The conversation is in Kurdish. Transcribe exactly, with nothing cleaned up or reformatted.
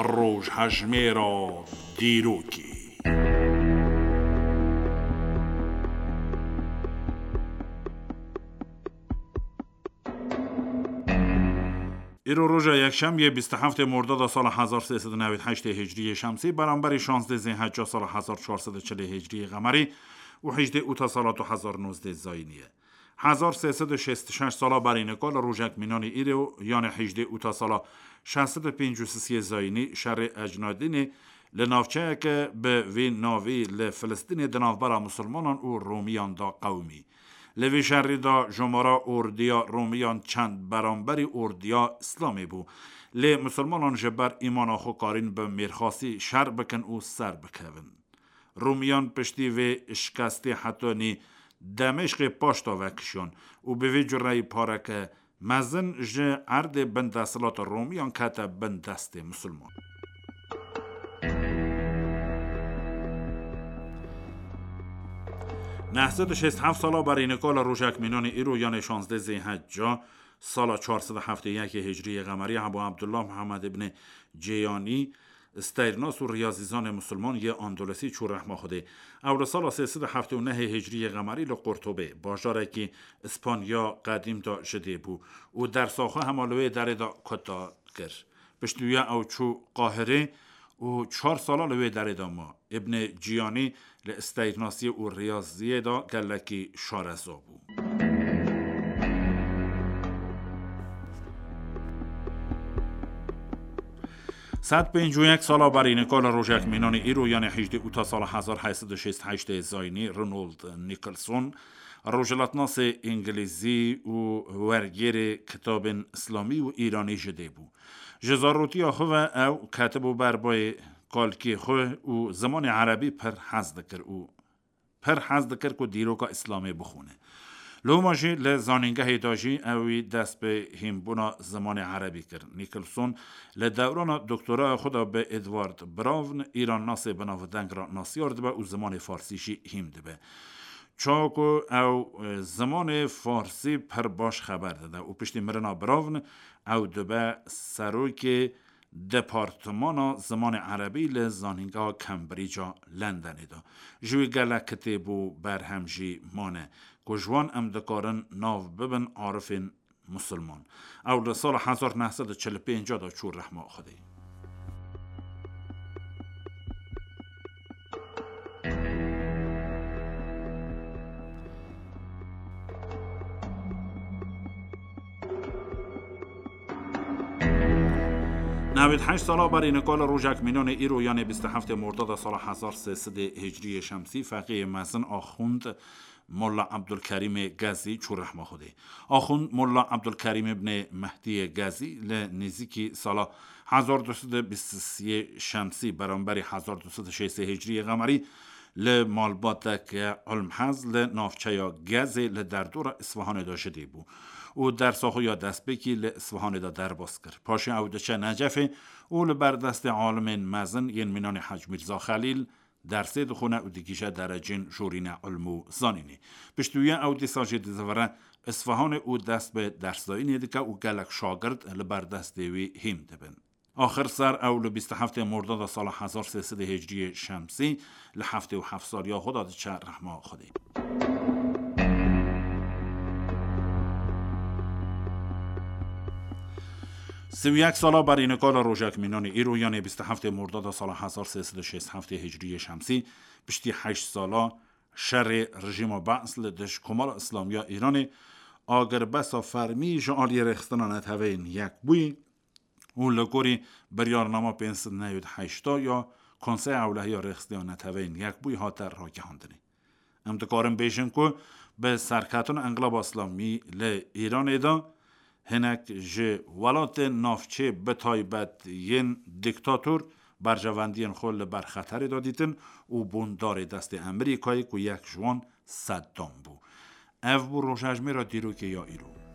Rojhejmêra dîrokê. Îro roja yekşemiyê bîst û heftê Mordada sala hezar sê sed û newêd heştê Hicriyê Şemsî, beramberî şazdê Zêhecca sala hezar çar sed û çilê Hicriyê Qemerî û hejdê Ûta sala du hezar nozdeh Zayînî ye. Hezar sê sed û şêst û şeş sala berî nika li rojek mînanî îro, yanê hejdê Ûta sala şeş sed û pêncî û sisiyê Zayînî, şerê Ecnadînê li navçeyeke bi vî navî li Filistînê di navbera Musulmanan û Romiyan de qewimî. Li vî şerî de jomara ordiya Romiyan çend beramberî ordiya Îslamê bû. Lê Musulmanan ji ber îmana xwe karîn bi mêrxasî şer bikin û ser bikevin. Romiyan piştî vê şikestê hetanî Demeşqê paş de vekişiyan û bi vê cureyî pareke mezin ji erdê bin desthilata Romiyan kete bin destê Musulman. Neh sed û şêst heft sala berî nika li rojek mînanê îro, yanê şazdeh Zêhecca sala çar sed û heftê yekê Hicriyê Qemerî, Ebû Ebdullah Muhammed ibnê Cêyanî, steyrnas û riyazîzanê Musulman yê Andolosî çû rehma Xwedê. Ew li sala sê sed û heftê û nehê Hicriyê Qemerî li Qurtubê, bajarekî Îspanya qedîm de ji dê bû û dersa xwe hema li wê derê de kuta kir. Piştî wî ew çû Qahirê û çar sala li wê derê de ma. Îbnê Cîyanî li steyrnasiyê û riyaziyê de gelekî şareza bû. Sed pêncî û yek sala berî nika li rojek mînanê îro, yanê hejdê Ûta sala hezar heyt sed û şêst heştê Zayînî, Ronald Nicholson, rojhilatnasê îngilîzî û wergêrê kitabên îslamî û îranî ji dê bû. Ji zarotiya xwe ve ew ketibû ber bayê kalkê xwe û zimanê erebî pir hez dikir û pir hez dikir ku dîroka Îslamê bixwîne. Loma jî li zanîngehê de jî ew wî dest bi hînbûna zimanê erebî kir. Nicholson li dewrana doktoraya xwe de bi Edward Brown, îrannasê binavdeng re nasiyar dibe û zimanê farsî jî hîn dibe. Çawa ku ew, e, zimanê farsî pir baş xeber dide û piştî mirina Brown ew dibe serokê Departmana Zimanê Erebî li Zanîngeha Cambridge-a Londonê de. Ji wî gelek kitêb û berhem jî mane, ku ji wan em dikarin nav bibin arifên Musulman. Ew li sala hezar neh sed û çil û pênc de çû rehma Xwedê. Newêd heşt sala berî nika li rojek mînanê îro, yanê bîst û heftê Mordada sala hezar sê sed Hicriyê Şemsî, feqîyê mezin Axund Molla Ebdulkerîmê Gezî çû rehma Xwedê. Axund Molla Ebdulkerîm ibnê Mehdiyê Gezî li nêzîkî sala hezar du sed û bîst û sê Şemsî, beramberî hezar du sed û şêst Hicriyê Qemerî, li malbateke Ulmhez li navçeya Gezê li derdora Îsfahanê de ji dê bû û dersa xwe ya destpêkî li Îsfahanê de derbas kir. Paşê ew diçe Necefê û li ber destê alimên mezin yên mînanê Hec Mîrza Xelîl dersê dixwine û digihîje derecên jorîne ilm û zanînê. Piştî wî ew dîsa jî dizivire Îsfahanê û dest bi dersdayînê dike û gelek şagird li ber destê wî hîn dibin. Axir ser ew li bîst û heftê Mordada sala hezar sê sed Hicriyê Şemsî li heftê û heft saliya xwe de diçe rehma Xwedê. Sî û yek sala berî nika li rojek mînanê îro, yanê bîst û heftê Mordada sala hezar sê sed û şêst heftê Hicriyê Şemsî, piştî heşt sala şerê rejîma Be's li dij Komara Îslamî ya Îranê, agirbesta fermî ji aliyê Rêxistina Neteweyên Yekbûyî û li gorî biryarnama pênc sed newêd heşta ya Konseya Ewlehiya Rêxistiya Neteweyên Yekbûyî hate ragihandinê. Em dikarin bêjin ku bi serketina Enqilaba Îslamî li Îranê de hinek ji welatên navçê, bi taybet yên dîktator, berjewendiyên xwe li ber xeterê de dîtin û bûn darê destê Amerîkayê ku yek ji wan Seddam bû. Ev bû rojhejmêra dîrokê ya îro.